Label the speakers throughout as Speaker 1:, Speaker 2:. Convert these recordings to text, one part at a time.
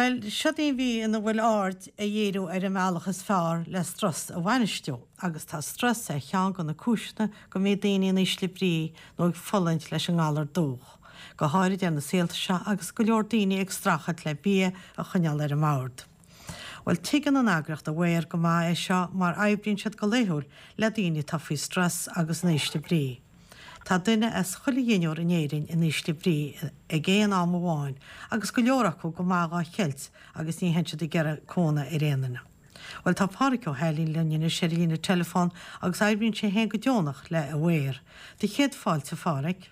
Speaker 1: Bhuel, siod í an mhí ina bhfuil aird a dhíriú ar an mbealach is fearr le strus a bhainistiú, agus tá strus ar cheann de na cúiseanna go mbíonn daoine in ísle brí nó ag fulaingt leis an ngalar dubhach, go háirid ar na saolta seo agus go leor daoine ag streachailt le bia a choinneáil ar an mbord. Bhuel, tuigeann an eagraíocht Aware go maith é seo mar oibríonn siad go laethúil le daoine atá faoi strus agus in ísle brí. Tá duine as chuile dheichniúr in Éirinn in ísle brí ag aon am amháin agus go leor acu go maith dhá cheilt agus ní théann siad ag iarraidh cónamh ar aon duine. Bhuel tá Pádhraic Ó hAilín linn anois ar an líne teileafóin agus oibríonn sé féin go deonach le Aware. Do chéad fáilte a Phádhraic.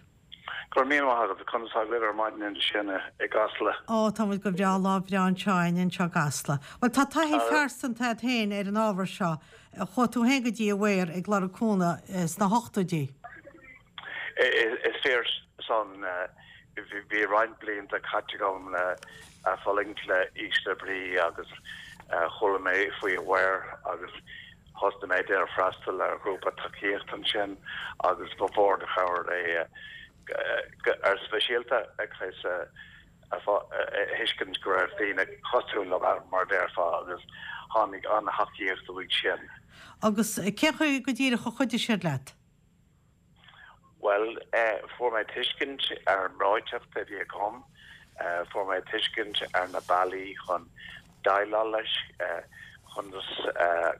Speaker 2: Go raibh míle maith agat. Conas tá libh ar maidin ansin i gCasla?
Speaker 1: Ó, tá muid go breá, lá breá anseo againn anseo i gCasla. Bhuel, tá taithí phearsanta agat féin ar an ábhar seo. Chuaigh tú féin go dtí Aware ag lorg cúnamh sna hochtóidí.
Speaker 2: Is fíor san. Bhí roinnt blianta caite agam le fulaingt le ísle brí agus chuala mé faoi Aware agus thosnaigh mé ag déanamh freastal ar ghrúpa tacaíochta ansin agus ba mhór an chabhair é go speisialta ag a thuiscint go raibh daoine cosúil liom ann, mar a déarfá, agus tháinig an-tacaíocht uaidh sin.
Speaker 1: Agus cén chaoi go díreach a chuidigh siad leat?
Speaker 2: Bhuel, fuair mé tuiscint ar an mbreoiteacht a bhí agam, fuair mé tuiscint ar na bealaí chun déileáil leis, conas,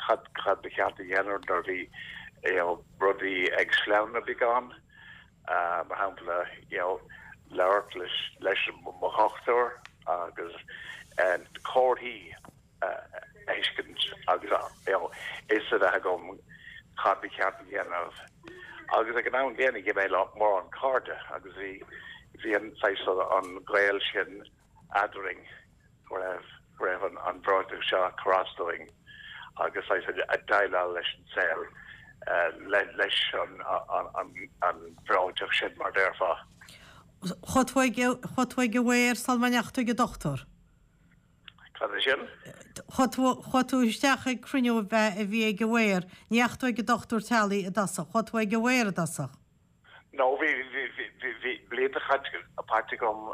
Speaker 2: cad, cad ba cheart a dhéanamh nuair a bhí, you know, rudaí ag sleamhnú beagán. mar shampla, you know, labhairt leis, leis mo dhochtúir agus comharthaí a thuiscint agus, you know, fhios a bheith agam cad ba cheart a dhéanamh. Agus ag an am gcéanna gheibh mé mórán cairde agus bhí, bhí an saghas an gaol sin eadrainn go raibh, go raibh an, an bhreoiteacht seo ag cur as dúinn agus saghas ag déileáil leis an saol, le, leis an, an, an bhreoiteacht sin mar déarfá.
Speaker 1: Chuaigh tú ag, chuaigh tú ag Aware sula ndeachaigh tú ag an dochtúir?
Speaker 2: Cad é sin?
Speaker 1: Chuaigh tú, chuaigh tú isteach ag cruinniú a bhí ag Aware, ní dheachaigh tú ag an dochtúir teaghlaigh i dtosach, chuaigh tú ag Aware i dtosach?
Speaker 2: No, bhí, bhí, bhí, bhí, bhí blianta caite, caite agam,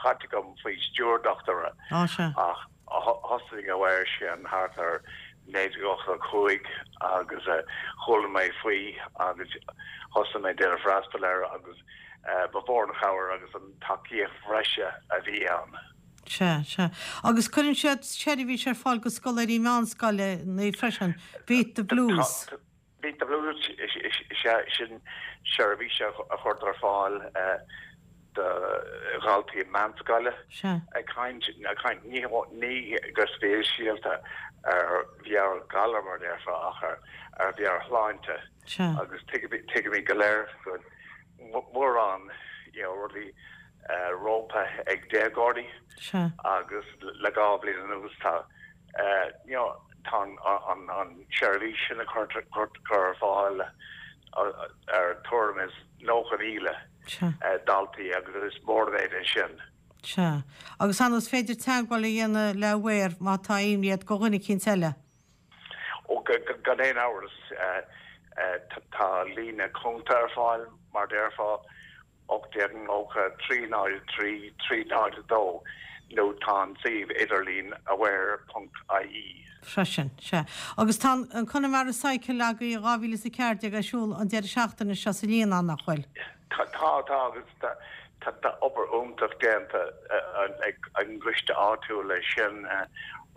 Speaker 2: caite agam faoi stiúir dochtúra.
Speaker 1: Á, sea.
Speaker 2: Ach thosaigh Aware sin thart ar 1985 agus chuala mé faoi agus thosaigh mé ag déanamh freastal air agus ba mhór an chabhair agus an tacaíocht bhreise a bhí ann.
Speaker 1: Sea, sea. Agus cuireann siad seirbhís ar fáil go scoláirí meánscoile freisin, Beat the Blues.
Speaker 2: Beat the Blues, sea, sin seirbhís a chuirtear ar fáil do dhaltaí meánscoile. Ag caint, ag caint ní go speisialta ar mheabhairghalar mar a déarfá ach ar mheabhairshláinte agus tuigimid go léir go mórán you know rudaí rompu ag déagóirí agus le 2 bhliain anuas tá you know tá an tseirbhís sin a chur ar fáil ar tuairim is 90,000 daltaí agus is mór an méid é sin.
Speaker 1: Sea. Agus ar ndóigh is féidir teagmháil a dhéanamh le Aware má tá imní ort go dhuine eicínt eile.
Speaker 2: Ó, gan aon amhras, tá líne cúnta ar fáil, mar déarfá, 1890 303 302 nó tá an suíomh idirlín aware ponc ie.
Speaker 1: freisin. Sea. Agus tá an Connemara Cycle agaibh 2014 ar siúl an deireadh seachtaine seo sa Líonán, nach bhfuil?
Speaker 2: Tá, tá agus tá obair iontach déanta ag an gcoiste áitiúil leis sin.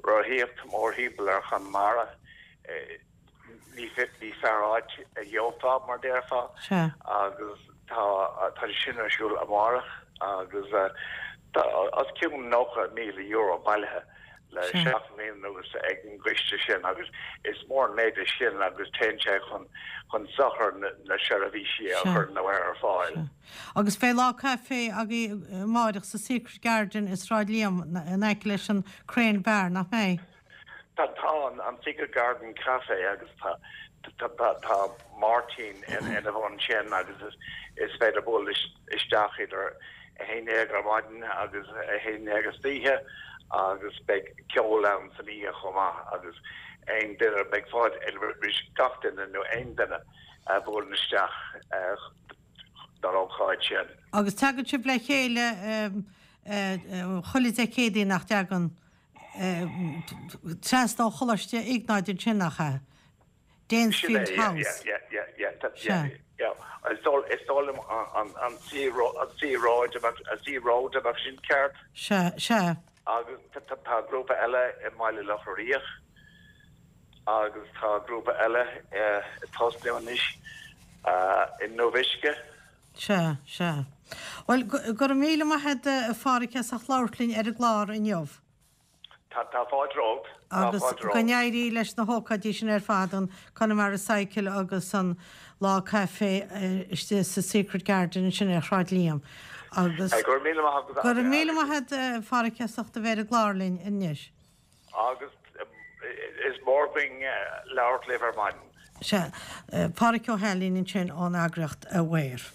Speaker 2: Rothaíocht mórthimpeall ar Chonamara. Ní fearr áit a gheofá, mar déarfá, agus tá tá sé sin ar siúl amárach agus tá os cionn €90,000 bailithe le seacht mbliana anuas ag an gcoiste sin agus is mór an méid é sin agus téann sé chun chun sochair na seirbhísí a chuireann Aware ar fáil.
Speaker 1: Agus beidh lá caife agaibh amáireach sa Secret Garden i Sráid Liam in aice leis an Crane Bar, nach mbeidh?
Speaker 2: Tá an Secret Garden Café agus tá tá Máirtín ina bhun sin agus is féidir bualadh isteach idir 11 ar maidin agus 11 istoíche agus beidh ceol ann san oíche chomh maith agus aon duine, beidh fáilte roimh gach duine nó aon duine a bhuaileann isteach don ócáid sin.
Speaker 1: Agus tagann sibh le chéile chuile Dé Céadaoin, nach dtagann? Trasna ó Choláiste Iognáid ansin, nach ea? Danesfield House.
Speaker 2: Yeah, yeah, yeah, yeah, yeah. Is dóigh liom an Sea Road a Sea Road a bheadh sin ceart.
Speaker 1: Sea, sea.
Speaker 2: Agus tá grúpa eile i mBaile Locha Riach agus tá grúpa eile ag tosnú anois i nDubh Uisce.
Speaker 1: Sea, sea. Bhuel, go raibh míle maith agat a Pháraic as ucht labhairt linn ar an gclár inniu.
Speaker 2: Tá fáilte romhat.
Speaker 1: Tá Agus fáilte go romhat. n-éirí leis na hócáidí sin ar fad, an Connemara Cycle agus an Lá Caife istigh sa Secret Garden ansin ar Shráid Liam.
Speaker 2: Agus Go raibh míle maith
Speaker 1: agat. Go raibh míle maith agat a Pháraic as ucht a bheith ar an gclár linn anois.
Speaker 2: Agus is mór againn labhairt libh ar maidin.
Speaker 1: Sea. Páraic Ó hAilín ansin ón eagraíocht Aware.